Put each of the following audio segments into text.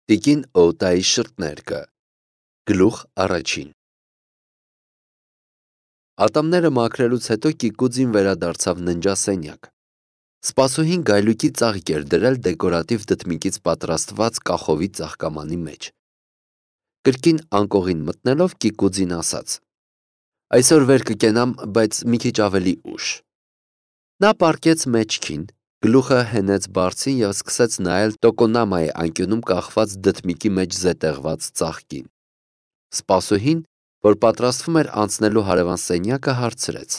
Տիկին Օտայի շրթներկը, գլուխ առաջին։ Ատամները մաքրելուց հետո Կիկուձին վերադարձավ ննջասենյակ։ Սպասուհին գայլուկի ծաղիկ էր դրել դեկորատիվ դդմիկից պատրաստված կախովի ծաղկամանի մեջ։ Կրկին անկողին մտնելով Կիկուձին ասաց. «Այսօր վեր կկենամ, բայց մի քիչ ավելի ուշ»։ Նա պառկեց մեջքին, գլուխը հենեց բարձին և սկսեց նայել տոկոնամայի անկյունում կախված դդմիկի մեջ զետեղված ծաղկին։ Սպասուհին, որ պատրաստվում էր անցնելու հարևան սենյակը, հարցրեց.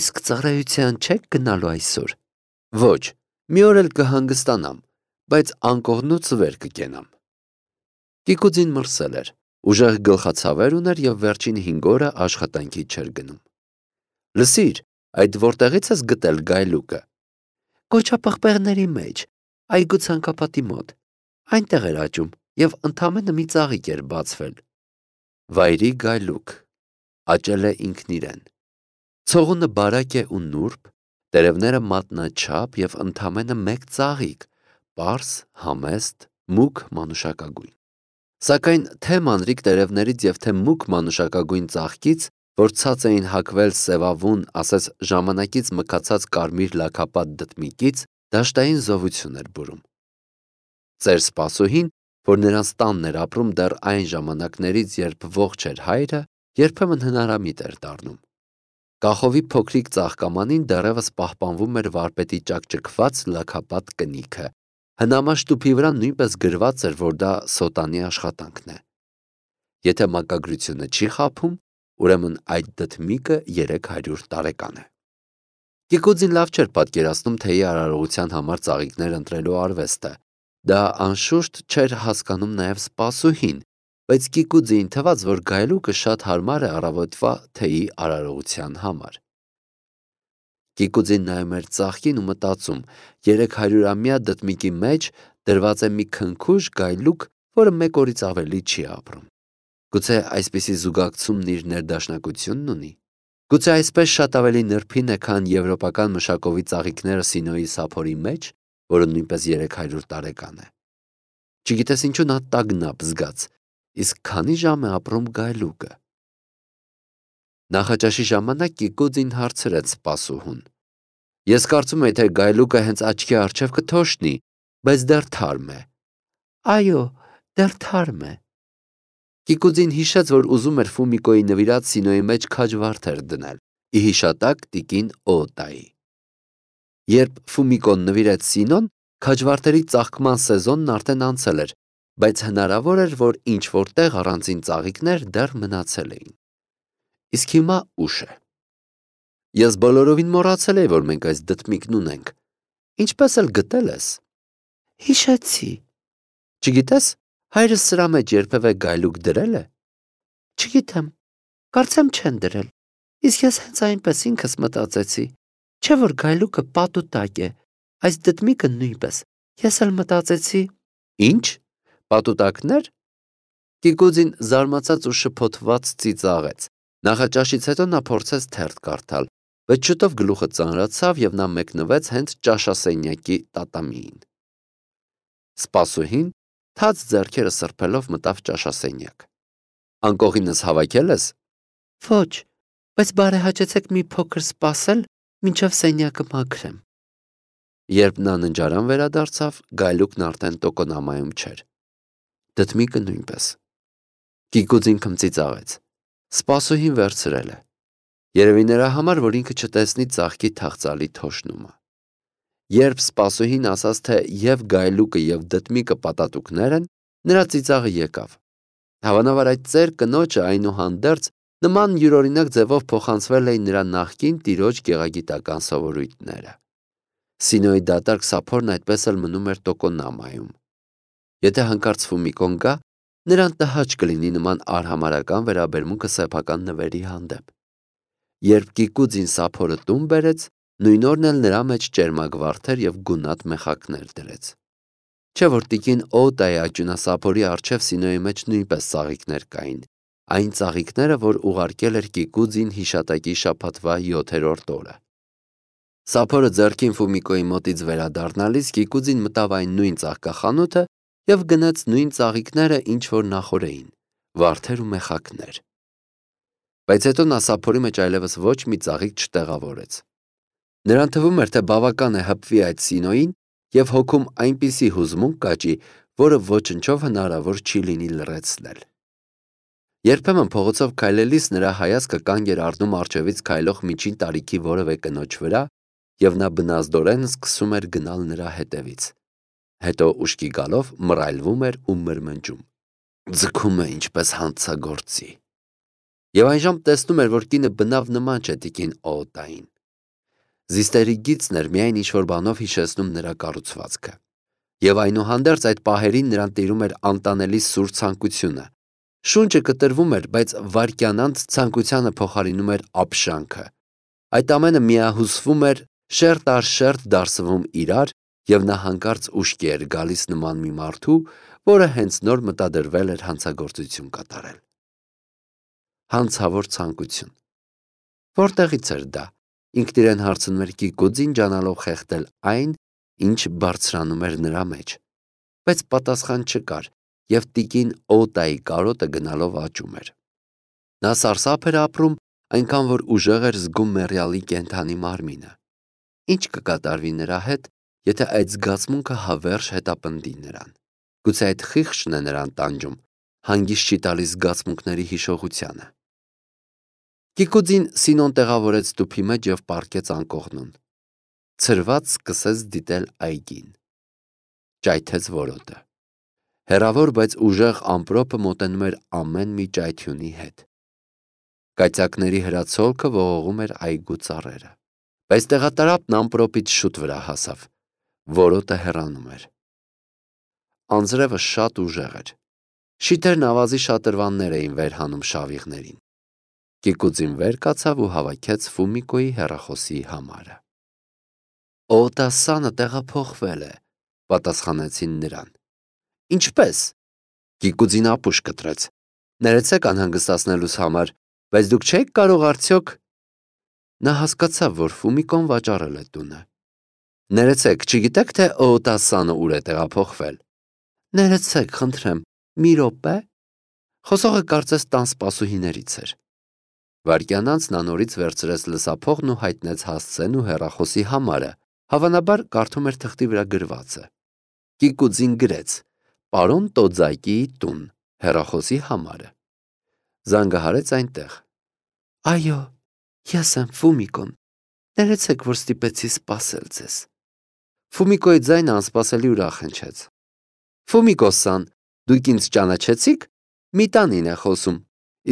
«Իսկ ծառայության չեք գնալու այսօր»։ «Ոչ, մի օր էլ կհանգստանամ, բայց անկողնուց վեր կկենամ»։ Կիկուձին մրսել էր, ուժեղ գլխացավեր ուներ և վերջին 5 օրը աշխատանքի չէր գնում։ «Լսիր, այդ որտեղի՞ց ես գտել գայլուկը»։ «Կոճապղպեղների մեջ, այգու ցանկապատի մոտ, այնտեղ էր աճում և ընդամենը մի ծաղիկ էր բացվել»։ Վայրի գայլուկ, աճել է ինքն իրեն։ Ցողունը բարակ է ու նուրբ, տերևները մատնաչափ և ընդամենը մեկ ծաղիկ, պարզ, համեստ, մուգ մանուշակագույն։ Սակայն թե մանրիկ տերևներից և թե մուգ մանուշակագույն ծաղկից, որ ցած էին հագվել սևավուն, ասես ժամանակից մքացած կարմիր լաքապատ դդմիկից, դաշտային զովություն էր բուրում։ Ծեր սպասուհին, որ նրանց տանն էր ապրում դեռ այն ժամանակներից, երբ ողջ էր հայրը, երբեմն հնարամիտ էր դառնում։ Կախովի փոքրիկ ծաղկամանին դեռևս պահպանվում էր վարպետի ճաքճքված լաքապատ կնիքը։ Հնամաշտուփի վրա նույնպես գրված էր, որ դա սոտանի աշխատանքն է։ Եթե մակագրությունը չի խաբում, ուրեմն այդ դդմիկը 300 տարեկան է։ Կիկուձին լավ չէր պատկերացնում թեյի արարողության համար ծաղիկներ ընտրելու արվեստը։ Դա անշուշտ չէր հասկանում նաև սպասուհին, բայց Կիկուձիին թվաց, որ գայլուկը շատ հարմար է առավոտվա թեյի արարողության համար։ Կիկուձին նայում էր ծաղկին ու մտածում. 300-ամյա դդմիկի մեջ դրված է մի քնքուշ գայլուկ, որը մեկ օրից ավելի չի ապրում։ Գուցե այսպիսի զուգակցումն իր ներդաշնակությունն ունի։ Գուցե այսպես շատ ավելի նրբին է, քան եվրոպական մշակովի ծաղիկները Սինոյի սափորի մեջ, որը նույնպես 300 տարեկան է։ Չգիտես ինչու նա տագնապ զգաց, իսկ քանի ժամ է ապրում գայլուկը։ Նախաճաշի ժամանակ Կիկուձին հարցրեց սպասուհուն. «Ես կարծում էի, թե գայլուկը հենց աչքի առջև կթոշնի, բայց դեռ թարմ է»։ «Այո, դեռ թարմ է»։ Կիկուձին հիշեց, որ ուզում էր Ֆումիկոյի նվիրած Սինոյի մեջ քաջվարդեր դնել՝ ի հիշատակ տիկին Օտայի։ Երբ Ֆումիկոն նվիրեց Սինոն, քաջվարդերի ծաղկման սեզոնն արդեն անցել էր, բայց հնարավոր էր, որ ինչ-որ տեղ առանձին ծաղիկներ դեռ մնացել էին։ Իսկ հիմա ուշ է։ Ես բոլորովին մոռացել էի, որ մենք այս դդմիկն ունենք։ Ինչպես էլ գտել ես։ Հիշեցի։ Չգիտես, հայրս սրա մեջ երբևէ գայլուկ դրել է։ Չգիտեմ, կարծեմ չեն դրել։ Իսկ ես հենց այնպես ինքս մտածեցի, չէ՞ որ գայլուկը պատուտակ է, այս դդմիկը նույնպես։ Ես էլ մտածեցի. Ինչ, պատուտակներ։ Կիկուձին զարմացած ու շփոթված ծիծաղեց։ Նախաճաշից հետո նա փորձեց թերթ կարդալ, բայց շուտով գլուխը ծանրացավ և նա մեկնվեց հենց ճաշասենյակի տատամիին։ Սպասուհին թաց ձեռքերը սրբելով մտավ ճաշասենյակ։ Անկողինս հավաքել ես։ Ոչ, բայց բարեհաճեցեք մի փոքր սպասել, մինչև սենյակը մաքրեմ։ Երբ նա ննջարան վերադարձավ, գայլուկն արդեն տոկոնամայում չէր։ Դդմիկը նույնպես։ Կիկուձին քմծիծաղեց։ Սպասուհին վերցրել է։ Երևի նրա համար, որ ինքը չտեսնի ծաղկի թախծալի թոշնումը։ Երբ սպասուհին ասաց, թե և գայլուկը և դդմիկը պատատուկներ են, նրա ծիծաղը եկավ։ Հավանաբար այդ ծեր կնոջը այնուհանդերձ նման յուրօրինակ ձևով փոխանցվել էին նրա նախկին տիրոջ գեղագիտական սովորույթները։ Սինոյի դատարկ սափորն այդպես էլ մնում էր տոկոնամայում։ Եթե հանկարծ Ֆումիկոն գա, նրան տհաճ կլինի նման արհամարհական վերաբերմունքը սեփական նվերի հանդեպ։ Երբ Կիկուձին սափորը տուն բերեց, նույն օրն էլ նրա մեջ ճերմագվարդեր և գունատ մեխակներ դրեց։ Չէ՞ որ տիկին Օտայի աճյունասափորի առջև Սինոյի մեջ նույնպես ծաղիկներ կային, այն ծաղիկները, որ ուղարկել էր Կիկուձին հիշատակի շաբաթվա 7-րդ օրը։ Սափորը ձեռքին Ֆումիկոյի մոտից վերադառնալիս Կիկուձին մտավ այն նույն ծաղկախանութը և գնեց նույն ծաղիկները, ինչ որ նախօր էին, վարդեր ու մեխակներ։ Բայց հետո նա սափորի մեջ այլևս ոչ մի ծաղիկ չտեղավորեց։ Նրան թվում էր, թե բավական է հպվի այդ Սինոյին և հոգում այնպիսի հուզմունք կաճի, որը ոչնչով հնարավոր չի լինի լռեցնել։ Երբեմն փողոցով քայլելիս նրա հայացքը կանգ էր առնում առջևից քայլող միջին տարիքի որևէ կնոջ վրա, և նա բնազդորեն սկսում էր գնալ նրա հետևից։ Հետո ուշքի գալով մռայլվում էր ու մրմնջում. «Ձգում է ինչպես հանցագործի»։ Եվ այժմ տեսնում էր, որ կինը բնավ նման չէ տիկին Օոտային։ Զիստերի գիծն էր միայն ինչ-որ բանով հիշեցնում նրա կառուցվածքը։ Եվ այնուհանդերձ այդ պահերին նրան տիրում էր անտանելի սուր ցանկությունը։ Շունչը կտրվում էր, բայց վայրկյանանց ցանկությանը փոխարինում էր ապշանքը։ Այդ ամենը միահյուսվում էր, շերտ առ շերտ դարսվում իրար, և նա հանկարծ ուշքի էր գալիս նման մի մարդու, որը հենց նոր մտադրվել էր հանցագործություն կատարել։ Հանցավոր ցանկություն։ Որտեղից էր դա։ Ինքն իրեն հարցնում էր Կիկուձին, ջանալով խեղդել այն, ինչ բարձրանում էր նրա մեջ։ Բայց պատասխան չկար, և տիկին Օտայի կարոտը գնալով աճում էր։ Նա սարսափ էր ապրում, այնքան որ ուժեղ էր զգում մեռյալի կենդանի մարմինը։ Ինչ կկատարվի նրա հետ, եթե այդ զգացմունքը հավերժ հետապնդի նրան։ Գուցե այդ խիղճն է նրան տանջում, հանգիստ չի տալիս զգացմունքների հիշողությանը։ Կիկուձին Սինոն տեղավորեց տուփի մեջ և պառկեց անկողնուն։ Ցրված սկսեց դիտել այգին։ Ճայթեց որոտը։ Հեռավոր, բայց ուժեղ ամպրոպը մոտենում էր ամեն մի ճայթյունի հետ։ Կայծակների հրացոլքը ողողում էր այգու ծառերը։ Բայց տեղատարապն ամպրոպից շուտ վրա հասավ։ Որոտը հեռանում էր։ Անձրևը շատ ուժեղ էր։ Շիթերն ավազի շատրվաններ էին վեր հանում շավիղներին։ Կիկուձին վեր կացավ ու հավաքեց Ֆումիկոյի հեռախոսի համարը։ Օտասանը տեղափոխվել է, պատասխանեցին նրան։ Ինչպե՞ս։ Կիկուձին ապուշ կտրեց։ Ներեցեք անհանգստացնելուս համար, բայց դուք չեք կարող արդյոք։ Նա հասկացավ, որ Ֆումիկոն վաճառել է տունը։ Ներեցեք, չգիտեք, թե Օտասանը ուր է տեղափոխվել։ Ներեցեք, խնդրեմ, մի րոպե։ Խոսողը կարծես տան սպասուհիներից էր։ Վայրկյան անց նա նորից վերցրեց լսափողն ու հայտնեց հասցեն ու հեռախոսի համարը, հավանաբար կարդում էր թղթի վրա գրվածը։ Կիկուձին գրեց. Պարոն Տոձակիի տուն, հեռախոսի համարը։ Զանգահարեց այնտեղ։ Այո, ես եմ Ֆումիկոն։ Ներեցեք, որ ստիպեցի սպասել ձեզ։ Ֆումիկոյի ձայնը անսպասելի ուրախ հնչեց։ Ֆումիկո-սան, դուք ինձ ճանաչեցիք։ Մի տանին է խոսում,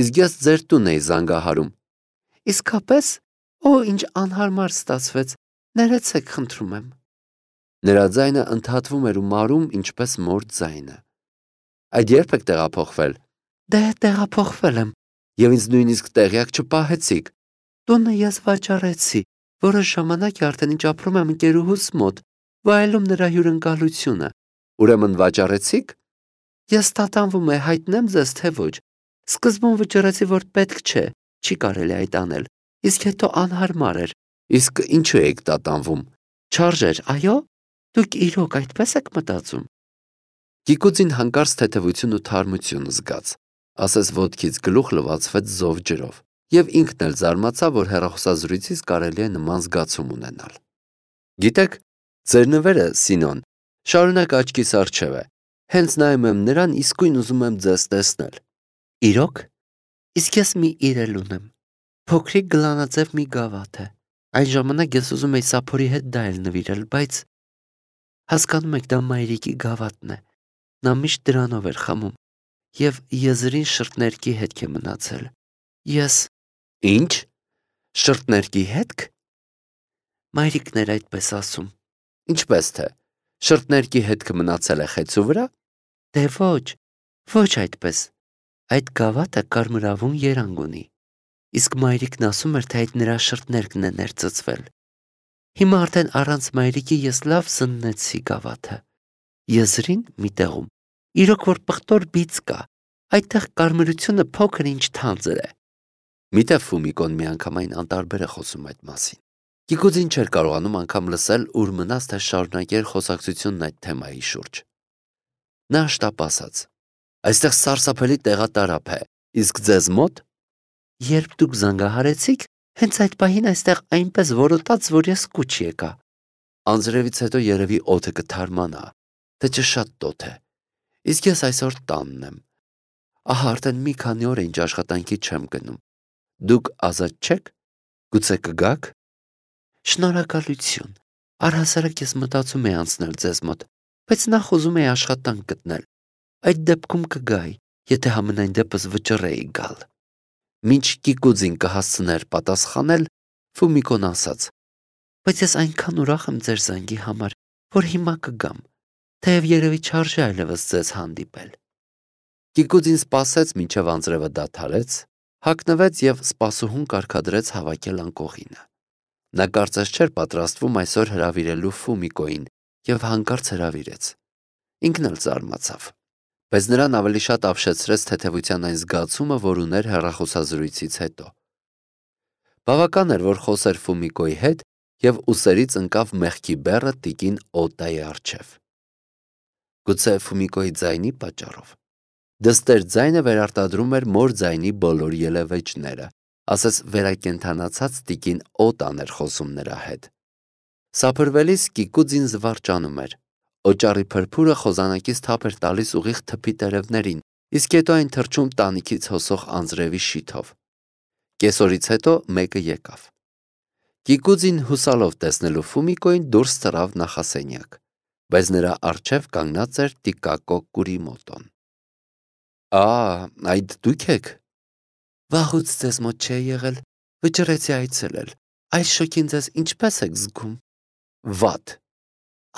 իսկ ես ձեր տուն էի զանգահարում։ Իսկապես։ Օ, ինչ անհարմար ստացվեց։ Ներեցեք, խնդրում եմ։ Նրա ձայնը ընդհատվում էր ու մարում, ինչպես մոր ձայնը։ Այդ երբ եք տեղափոխվել։ Դե տեղափոխվել եմ, և ինձ նույնիսկ տեղյակ չպահեցիք։ Տունը ես վաճառեցի, որոշ ժամանակ է արդեն ինչ ապրում եմ ընկերուհուս մոտ, վայելում նրա հյուրընկալությունը։ Ուրեմն վաճառեցիք։ Ես տատանվում է հայտնեմ ձեզ, թե ոչ։ Սկզբում վճռեցի, որ պետք չէ, չի կարելի այդ անել, իսկ հետո անհարմար էր։ Իսկ ինչու եք տատանվում։ Չարժեր, այո։ Դուք իրոք այդպես եք մտածում։ Կիկուձին հանկարծ թեթևություն ու թարմություն զգաց, ասես ոտքից գլուխ լվացվեց զով ջրով, և ինքն էլ զարմացավ, որ հեռախոսազրույցից կարելի է նման զգացում ունենալ։ Գիտեք, ձեր նվերը, Սինոն, շարունակ աչքիս առջև է։ Հենց նայում եմ նրան, իսկույն ուզում եմ ձեզ տեսնել։ Իրոք։ Իսկ ես մի իրել ունեմ։ Փոքրիկ գլանաձև մի գավաթ է։ Այն ժամանակ ես ուզում էի սափորի հետ դա էլ նվիրել, բայց հասկանում եք, դա մայրիկի գավաթն է։ Նա միշտ դրանով էր խմում, և եզրին շրթներքի հետք է մնացել։ Ես… Ինչ։ Շրթներքի հետք։ Մայրիկն էր այդպես ասում։ Ինչպես թե։ Շրթներքի հետքը մնացել է խեցու վրա։ Դե ոչ, ոչ այդպես։ Այդ գավաթը կարմրավուն երանգ ունի։ Իսկ մայրիկն ասում էր, թե այդ նրա շրթներքն է ներծծվել։ Հիմա արդեն առանց մայրիկի ես լավ զննեցի գավաթը։ Եզրին մի տեղում իրոք որ պղտոր բիծ կա, այդտեղ կարմրությունը փոքր ինչ թանձր է։ Միտեղ Ֆումիկոն միանգամայն անտարբեր է խոսում այդ մասին։ Կիկուձին չէր կարողանում անգամ լսել, ուր մնաց, թե շարունակեր խոսակցությունն այդ թեմայի շուրջ։ Նա շտապ ասաց. «Այստեղ սարսափելի տեղատարափ է, իսկ ձեզ մոտ»։ «Երբ դուք զանգահարեցիք, հենց այդ պահին այստեղ այնպես որոտաց, որ ես կուչ եկա»։ Անձրևից հետո երևի օդը կթարմանա, թե չէ շատ տոթ է, իսկ ես այսօր տանն եմ։ Ահա արդեն մի քանի օր է ինչ աշխատանքի չեմ գնում։ Դուք ազատ չեք։ Գուցե կգաք։ Շնորհակալություն։ Առհասարակ ես մտածում էի անցնել ձեզ մոտ, բայց նախ ուզում էի աշխատանք գտնել։ Այդ դեպքում կգայի, եթե համենայն դեպս վճռեի գալ։ Մինչ Կիկուձին կհասցներ պատասխանել, Ֆումիկոն ասաց. բայց ես այնքան ուրախ եմ ձեր զանգի համար, որ հիմա կգամ, թեև երևի չարժե այլևս ձեզ հանդիպել։ Կիկուձին սպասեց, մինչև անձրևը դադարեց, հագնվեց և սպասուհուն կարգադրեց հավաքել անկողինը։ Նա կարծես չէր պատրաստվում այսօր հրավիրելու Ֆումիկոին և հանկարծ հրավիրեց։ Ինքն էլ զարմացավ, բայց նրան ավելի շատ ապշեցրեց թեթևության այն զգացումը, որ ուներ հեռախոսազրույցից հետո։ Բավական էր, որ խոսեր Ֆումիկոյի հետ, և ուսերից ընկավ մեղքի բեռը տիկին Օտայի առջև։ Գուցե Ֆումիկոյի ձայնի պատճառով։ Դստեր ձայնը վերարտադրում էր մոր ձայնի բոլոր ելևէջները, ասես վերակենդանացած տիկին Օտան էր խոսում նրա հետ։ Սափրվելիս Կիկուձին զվարճանում էր։ Օճառի փրփուրը խոզանակից թափ էր տալիս ուղիղ թփի տերևներին, իսկ հետո այն թռչում տանիքից հոսող անձրևի շիթով։ Կեսօրից հետո մեկը եկավ։ Կիկուձին հուսալով տեսնելու Ֆումիկոյին դուրս ծռավ նախասենյակ, բայց նրա առջև կանգնած էր Տիկակո Կուրիմոտոն։ Այդ դուք եք։ Վաղուց ձեզ մոտ չէի եղել, վճռեցի այցելել։ Այս շոգին ձեզ ինչպես եք զգում։ Վատ։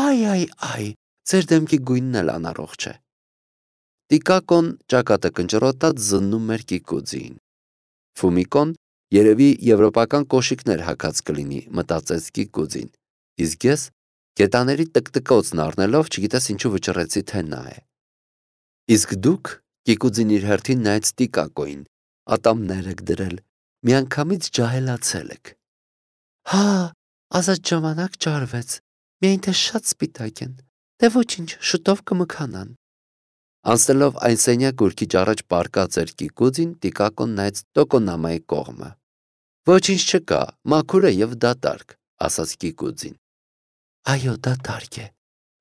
Այ, ձեր դեմքի գույնն էլ անառողջ է։ Տիկակոն ճակատը կնճռոտած զննում էր Կիկուձիին։ Ֆումիկոն երևի եվրոպական կոշիկներ հագած կլինի, մտածեց Կիկուձին, իսկ ես գետաների տկտկոցն առնելով չգիտես ինչու վճռեցի, թե նա է։ Իսկ դուք, Կիկուձին իր հերթին նայեց Տիկակոյին, ատամներ եք դրել, միանգամից ջահելացել եք։ Հա, ազատ ժամանակ ճարվեց, միայն թե շատ սպիտակ են, դե ոչինչ, շուտով կմքանան։ Անցնելով այն սենյակ, որ քիչ առաջ պառկած էր Կիկուձին, Տիկակոն նայեց Տոկոնամայի կողմը։ Ոչինչ չկա, մաքուր է և դատարկ, ասաց Կիկուձին։ Այո, դատարկ է։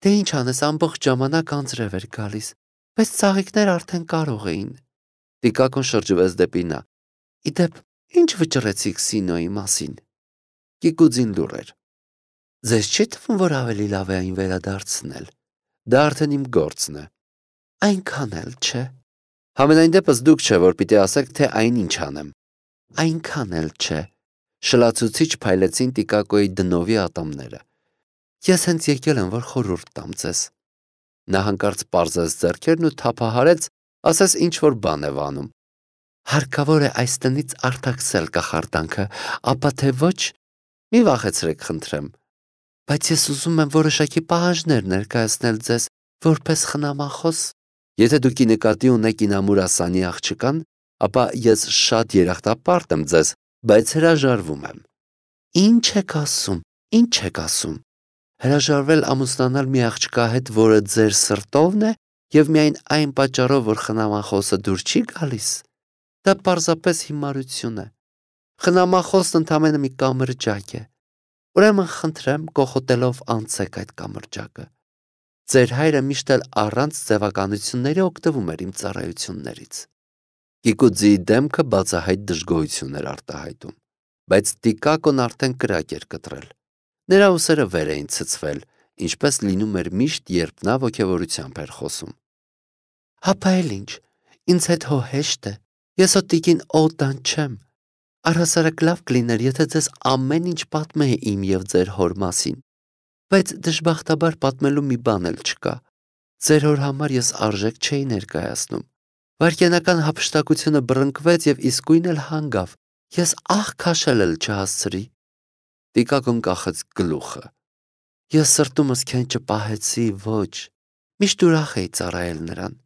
Դե ինչ անես, ամբողջ ժամանակ անձրև էր գալիս, բայց ծաղիկներ արդեն կարող էին։ Տիկակոն շրջվեց դեպի նա։ Իդեպ, ինչ վճռեցիք Սինոյի մասին։ Կիկուձին լուռ էր։ Ձեզ չի թվում, որ ավելի լավ է այն վերադարձնել։ Դա արդեն իմ գործն է։ Այնքան էլ չէ։ Համենայն դեպս դուք չէ, որ պիտի ասեք, թե այնինչ անեմ։ Այնքան էլ չէ։ Շլացուցիչ փայլեցին Տիկակոյի դնովի ատամները։ Ես հենց եկել եմ, որ խորհուրդ տամ ձեզ։ Նա հանկարծ պարզեց ձեռքերն ու թափահարեց, ասես ինչ-որ բան է վանում։ Հարկավոր է այս տնից արտաքսել կախարդանքը, ապա թե ոչ, մի վախեցրեք, խնդրեմ։ Բայց ես ուզում եմ որոշակի պահանջներ ներկայացնել ձեզ, որպես խնամախոս։ Եթե դուք ի նկատի ունեք Ինամուրա Սանի աղջկան, ապա ես շատ երախտապարտ եմ ձեզ, բայց հրաժարվում եմ։ Ինչ եք ասում։ Հրաժարվել ամուսնանալ մի աղջկա հետ, որը ձեր սրտովն է, և միայն այն պատճառով, որ խնամախոսը դուր չի գալիս։ Դա պարզապես հիմարություն է։ Խնամախոսն ընդամենը մի կամրջակ է։ Ուրեմն խնդրեմ, կոխոտելով անցեք այդ կամրջակը։ Ձեր հայրը միշտ էլ առանց ձևականությունների օգտվում էր իմ ծառայություններից։ Կիկուձիի դեմքը բացահայտ դժգոհություն էր արտահայտում, բայց Տիկակոն արդեն կրակ էր կտրել։ Նրա ուսերը վեր էին ցցվել, ինչպես լինում էր միշտ, երբ նա ոգևորությամբ էր խոսում։ Հապա էլ ինչ, ինձ հետ հո հեշտ է, ես հո տիկին Օտան չեմ։ Առհասարակ լավ կլիներ, եթե ձեզ ամեն ինչ պատմեի իմ և ձեր հոր մասին, բայց դժբախտաբար պատմելու մի բան էլ չկա։ Ձեր հոր համար ես արժեք չէի ներկայացնում։ Վայրկենական հափշտակությունը բռնկվեց և իսկույն էլ հանգավ, ես ահ քաշել էլ չհասցրի։ Տիկակոն կախեց գլուխը։ Ես սրտումս քեն չպահեցի, ոչ, միշտ ուրախ էի ծառայել նրան։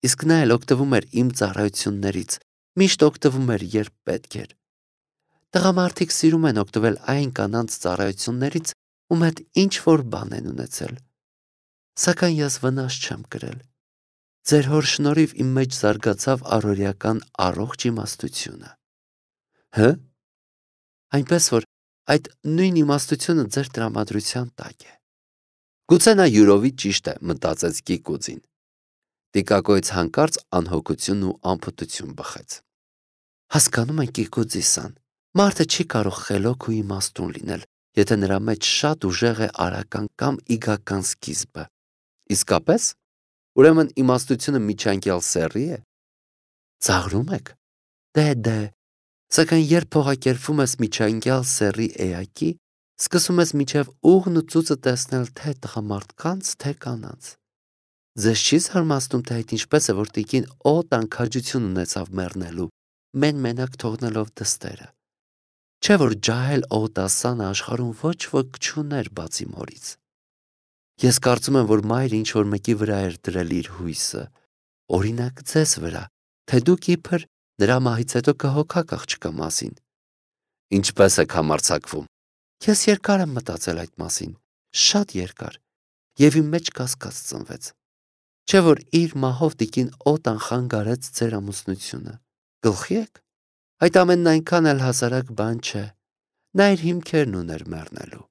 Իսկ նա էլ օգտվում էր իմ ծառայություններից, միշտ օգտվում էր, երբ պետք էր։ Տղամարդիկ սիրում են օգտվել այն կանանց ծառայություններից, ում հետ ինչ-որ բան են ունեցել։ Սակայն ես վնաս չեմ կրել։ Ձեր հոր շնորհիվ իմ մեջ զարգացավ առօրեական առողջ իմաստությունը։ Հը՞։ Այնպես որ այդ նույն իմաստությունը ձեր տրամադրության տակ է։ Գուցե նա յուրովի ճիշտ է, մտածեց Կիկուձին։ Տիկակոյից հանկարծ անհոգություն ու անփութություն բխեց։ Հասկանում եք, Կիկուձի-սան, մարդը չի կարող խելոք ու իմաստուն լինել, եթե նրա մեջ շատ ուժեղ է արական կամ իգական սկիզբը։ Իսկապես, ուրեմն իմաստությունը միջանկյալ սեռի է։ Ծաղրում եք։ Դե, սակայն երբ փողակերպվում ես միջանկյալ սեռի էակի, սկսում ես միջև ուղն ու ծուծը տեսնել թե տղամարդկանց, թե կանանց։ Ձեզ չի զարմացնում, թե այդ ինչպես է, որ տիկին Օտան քաջություն ունեցավ մեռնելու, մենակ թողնելով դստերը։ Չէ՞ որ ջահել Օտասանը աշխարհում ոչ ոք չուներ բացի մորից։ Ես կարծում եմ, որ մայրը ինչ-որ մեկի վրա էր դրել իր հույսը, օրինակ ձեզ վրա, թե դուք իբր նրա մահից հետո կհոգաք աղջկա մասին։ Ինչպես եք համարձակվում։ Ես երկար եմ մտածել այդ մասին, շատ երկար, եւ իմ մեջ կասկած ծնվեց։ Չէ՞ որ իր մահով տիկին Օտան խանգարեց ձեր ամուսնությունը։ Գլխի եք։ Այդ ամենն այնքան էլ հասարակ բան չէ։ Նա իր հիմքերն ուներ մեռնելու։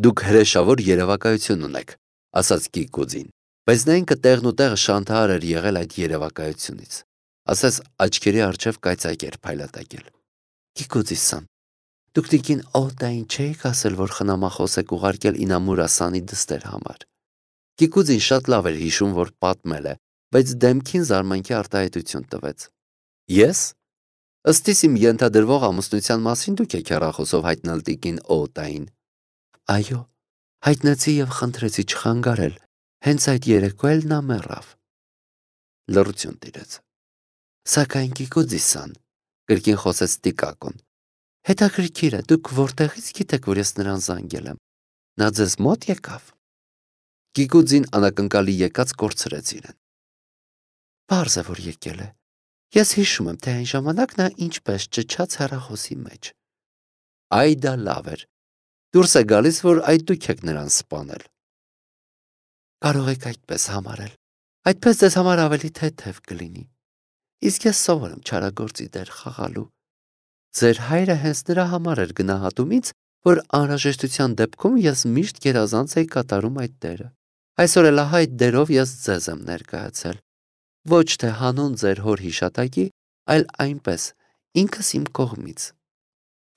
Դուք հրեշավոր երևակայություն ունեք, ասաց Կիկուձին, բայց նա ինքը տեղն ու տեղը շանթահար էր եղել այդ երևակայությունից, ասես աչքերի առջև կայծակ էր փայլատակել։ Կիկուձի-սան, դուք տիկին Օտային չէիք ասել, որ խնամախոս եք ուղարկել Ինամուրասանի դստեր համար։ Կիկուձին շատ լավ էր հիշում, որ պատմել է, բայց դեմքին զարմանքի արտահայտություն տվեց։ Ես։ Ըստ իմ ենթադրվող ամուսնության մասին դուք եք հեռախոսով հայտնել տիկին Օտային։ Այո, հայտնեցի եւ խնդրեցի չխանգարել, հենց այդ երեկո էլ նա մեռավ։ Լռություն տիրեց։ Սակայն Կիկուձի-սան, կրկին խոսեց Տիկակոն, հետաքրքիր է, դուք որտեղից գիտեք, որ ես նրան զանգել եմ։ Նա ձեզ մոտ եկավ։ Կիկուձին անակնկալի եկած կորցրեց իրեն։ Պարզ է, որ եկել է։ Ես հիշում եմ, թե այն ժամանակ նա ինչպես ճչաց հեռախոսի մեջ։ Այ դա լավ էր։ Դուրս է գալիս, որ այդ դուք եք նրան սպանել։ Կարող եք այդպես համարել։ Այդպես ձեզ համար ավելի թեթև կլինի։ Իսկ ես սովոր եմ չարագործի դեր խաղալու։ Ձեր հայրը հենց նրա համար էր գնահատում ինձ, որ անհրաժեշտության դեպքում ես միշտ գերազանց էի կատարում այդ դերը։ Այսօր էլ ահա այդ դերով ես ձեզ եմ ներկայացել։ Ոչ թե հանուն ձեր հոր հիշատակի, այլ այնպես, ինքս իմ կողմից։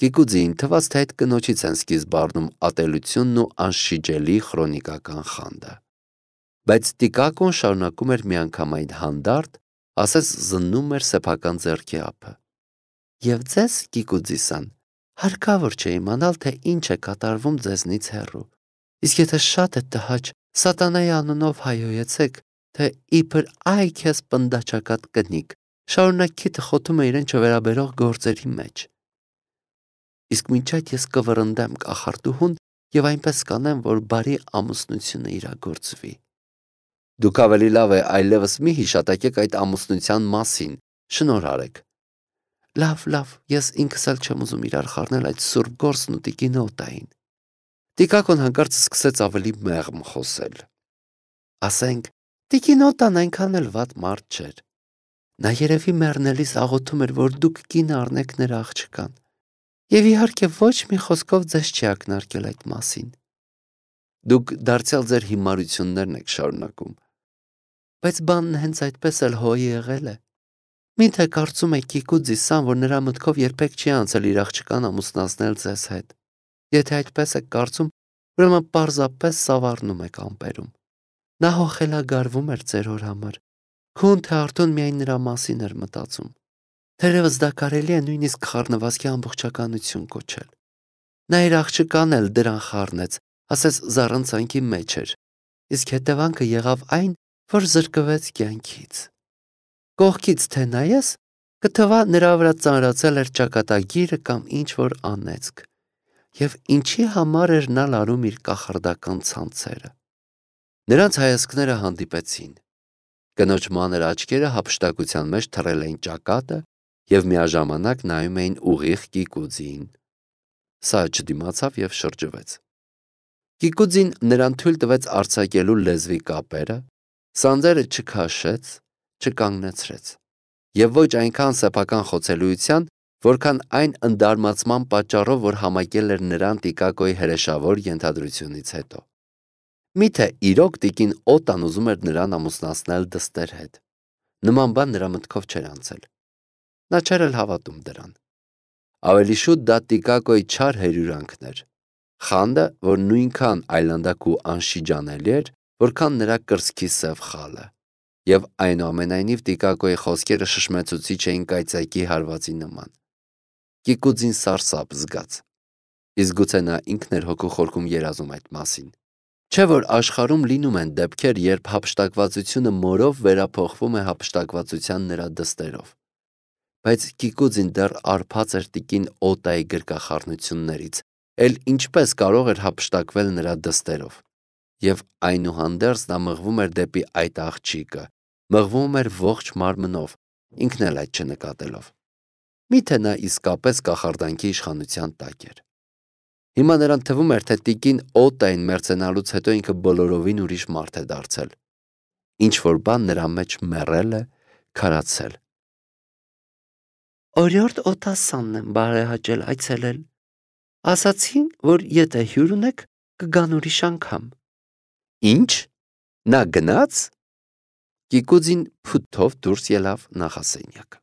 Կիկուձին թվաց, թե այդ կնոջից են սկիզբ առնում ատելությունն ու անշիջելի քրոնիկական խանդը։ Բայց Տիկակոն շարունակում էր միանգամայն հանդարտ, ասես զննում էր սեփական ձեռքի ափը։ Եվ ձեզ, Կիկուձի-սան, հարկավոր չէ իմանալ, թե ինչ է կատարվում ձեզնից հեռու։ Իսկ եթե շատ է տհաճ, սատանայի անունով հայհոյեցեք, թե իբր այ քեզ պնդաչակատ կնիկ, շարունակ քիթը խոթում է իրեն չվերաբերող գործերի մեջ։ Իսկ մինչ այդ ես կվռնդեմ կախարդուհուն եւ այնպես կանեմ, որ բարի ամուսնությունը իրագործվի։ Դուք ավելի լավ է այլևս մի հիշատակեք այդ ամուսնության մասին, շնորհ արեք։ Լավ, ես ինքս էլ չեմ ուզում իրար խառնել այդ սուրբ գործն ու տիկին Օտային։ Տիկակոն հանկարծ սկսեց ավելի մեղմ խոսել։ Ասենք, տիկին Օտան այնքան էլ վատ մարդ չէր։ Նա երևի մեռնելիս աղոթում էր, որ դուք կին առնեք նրա աղջկան։ Եվ իհարկե ոչ մի խոսքով ձեզ չի ակնարկել այդ մասին։ Դուք դարձյալ ձեր հիմարություններն եք շարունակում։ Բայց բանն հենց այդպես էլ հո եղել է։ Միթե կարծում եք Կիկուձի-սան, որ նրա մտքով երբեք չի անցել իր աղջկան ամուսնացնել ձեզ հետ։ Եթե այդպես եք կարծում, ուրեմն պարզապես սավառնում եք ամպերում։ Նա հո խելագարվում էր ձեր հոր համար։ Քուն թե արդյոք միայն նրա մասին էր մտածում։ Թերևս դա կարելի է նույնիսկ խառնվածքի ամբողջականություն կոչել։ Նա իր աղջկան էլ դրան խառնեց, ասես զառանցանքի մեջ էր, իսկ հետևանքը եղավ այն, որ զրկվեց կյանքից։ Կողքից թե նայես, կթվա նրա վրա ծանրացել էր ճակատագիրը կամ ինչ-որ անեծք, եւ ինչի համար էր նա լարում իր կախարդական ցանցերը։ Նրանց հայացքները հանդիպեցին։ Կնոջ մանր աչքերը հափշտակության մեջ թռել էին ճակատը եւ միաժամանակ նայում էին ուղիղ Կիկուձիին։ Սա չդիմացավ եւ շրջվեց։ Կիկուձին նրան թույլ տվեց արձակելու լեզվի կապերը, Սանձերը չքաշեց, չկանգնեցրեց եւ ոչ այնքան սեփական խոցելիության, որքան այն ընդարմացման պատճառով, որ համակել էր նրան Տիկակոյի հրեշավոր ենթադրությունից հետո։ Միթե իրոք տիկին Օտան ուզում էր նրան ամուսնացնել դստեր հետ։ Նման բան նրա մտքով չէր անցել։ Նա չէր էլ հավատում դրան։ Ավելի շուտ դա Տիկակոյի չար հերյուրանքն էր։ Խանդը, որ նույնքան այլանդակ ու անշիջանելի էր, որքան նրա կրծքի սև խալը։ Եվ այնուամենայնիվ Տիկակոյի խոսքերը շշմեցուցիչ էին կայծակի հարվածի նման։ Կիկուձին սարսափ զգաց։ Իսկ գուցե նա ինքն էր հոգու խորքում երազում այդ մասին։ Չէ՞ որ աշխարհում լինում են դեպքեր, երբ հափշտակվածությունը մորով վերափոխվում է հափշտակվածության նրա դստերով։ Բայց Կիկուձին դեռ արբած էր տիկին Օտայի գրկախառնություններից, էլ ինչպես կարող էր հափշտակվել նրա դստերով։ Եվ այնուհանդերձ նա մղվում էր դեպի այդ աղջիկը, մղվում էր ողջ մարմնով, ինքն էլ այդ չնկատելով։ Միթե նա իսկապես կախարդանքի իշխանության տակ էր։ Հիմա նրան թվում էր, թե տիկին Օտային մերձենալուց հետո ինքը բոլորովին ուրիշ մարդ է դարձել։ Ինչ-որ բան նրա մեջ մեռել է, քարացել։ Օրիորդ Օտասանն եմ բարեհաճել այցելել։ Ասացին, որ եթե հյուր ունեք, կգան ուրիշ անգամ։ Ինչ։ Նա գնաց։ Կիկուձին փութով դուրս ելավ նախասենյակ։